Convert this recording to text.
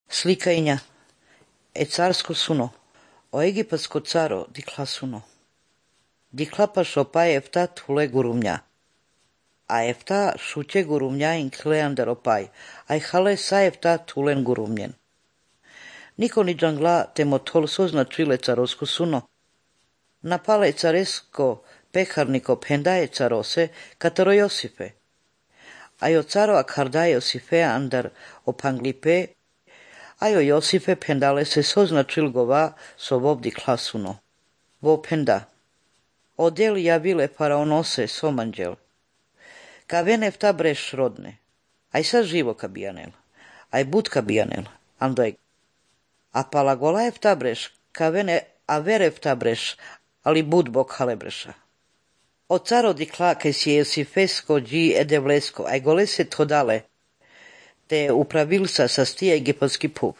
Slikainja. Carsko suno. O egipatsko caro dikla suno. Dikla pa šopa efta tule gurumnja. A efta šuće gurumnja in kleander opaj. Aj hale sa efta tulen gurumnjen. Niko ni džangla te motol soznačile carosko suno. Napale caresko peharniko pendaje carose katero Josife. Ajo caro akhardaje Josife andar opanglipe, ajo Josife pendale se soznačil gova so vobdi klasuno. Vo penda. Odel javile faraonose somanđel. Ka venefta breš rodne. Aj sa živo kabijanel. Aj bud kabijanel. Andoj. A palagola efta breš. Ka vene a verefta breš. Ali bud bok halebreša. O caro dikla ke si Josifesko dži edevlesko. Aj gole se todale. Te upravilsa sa stije egipatski puv.